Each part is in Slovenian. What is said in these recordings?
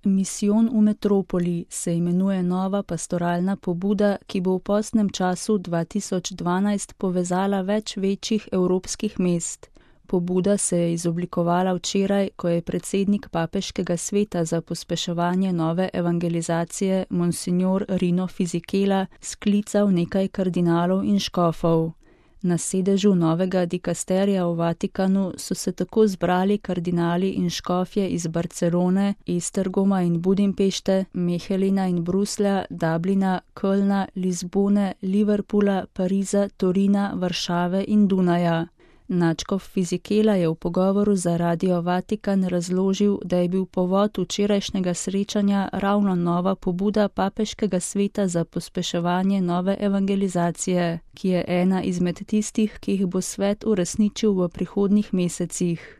Misijon v metropoli se imenuje nova pastoralna pobuda, ki bo v postnem času 2012 povezala več večjih evropskih mest. Pobuda se je izoblikovala včeraj, ko je predsednik Papeškega sveta za pospeševanje nove evangelizacije Monsignor Rino Fisichella sklical nekaj kardinalov in škofov. Na sedežu novega dikasterija v Vatikanu so se tako zbrali kardinali in škofje iz Barcelone, Esztergoma in Budimpešte, Mechelina in Bruslja, Dublina, Kölna, Lizbone, Liverpoola, Pariza, Torina, Varšave in Dunaja. Nadškof Fisichella je v pogovoru za Radio Vatikan razložil, da je bil povod včerajšnjega srečanja ravno nova pobuda Papeškega sveta za pospeševanje nove evangelizacije, ki je ena izmed tistih, ki jih bo svet uresničil v prihodnjih mesecih.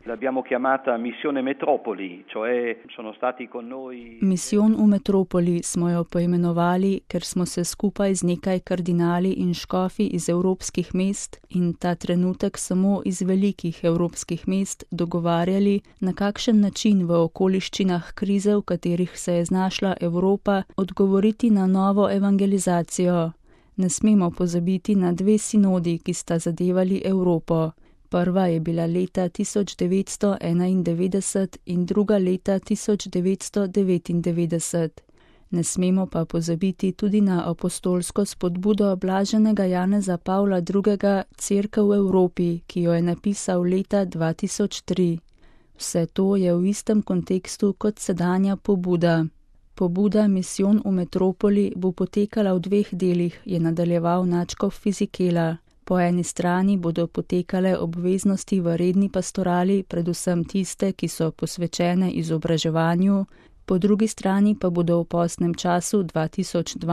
Misijon v metropoli smo jo poimenovali, ker smo se skupaj z nekaj kardinali in škofi iz evropskih mest in ta trenutek samo iz velikih evropskih mest dogovarjali, na kakšen način v okoliščinah krize, v katerih se je znašla Evropa, odgovoriti na novo evangelizacijo. Ne smemo pozabiti na dve sinodi, ki sta zadevali Evropo. Prva je bila leta 1991 in druga leta 1999. Ne smemo pa pozabiti tudi na apostolsko spodbudo blaženega Janeza Pavla II. Cerkev v Evropi, ki jo je napisal leta 2003. Vse to je v istem kontekstu kot sedanja pobuda. Pobuda Misijon v metropoli bo potekala v dveh delih, je nadaljeval nadškof Fisichella. Po eni strani bodo potekale obveznosti v redni pastorali, predvsem tiste, ki so posvečene izobraževanju, po drugi strani pa bodo v postnem času 2012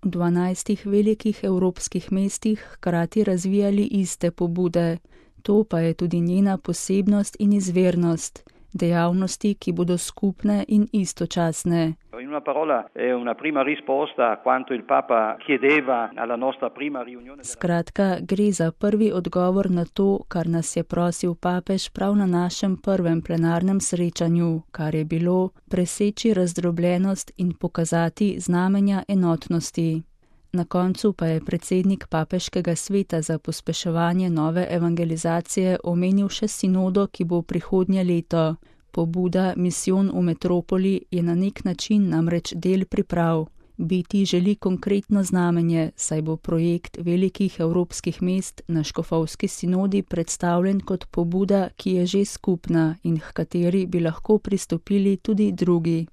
v 12 velikih evropskih mestih hkrati razvijali iste pobude. To pa je tudi njena posebnost in izvirnost, dejavnosti, ki bodo skupne in istočasne. In una parola, è una prima risposta a quanto il Papa chiedeva alla nostra prima riunione. Skratka, gre za prvi odgovor na to, kar nas je prosil papež prav na našem prvem plenarnem srečanju, kar je bilo preseči razdrobljenost in pokazati znamenja enotnosti. Na koncu pa je predsednik Papeškega sveta za pospeševanje nove evangelizacije omenil še sinodo, ki bo prihodnje leto. Pobuda Misijon v metropoli je na nek način namreč del priprav. Biti želi konkretno znamenje, saj bo projekt velikih evropskih mest na škofovski sinodi predstavljen kot pobuda, ki je že skupna in h kateri bi lahko pristopili tudi drugi.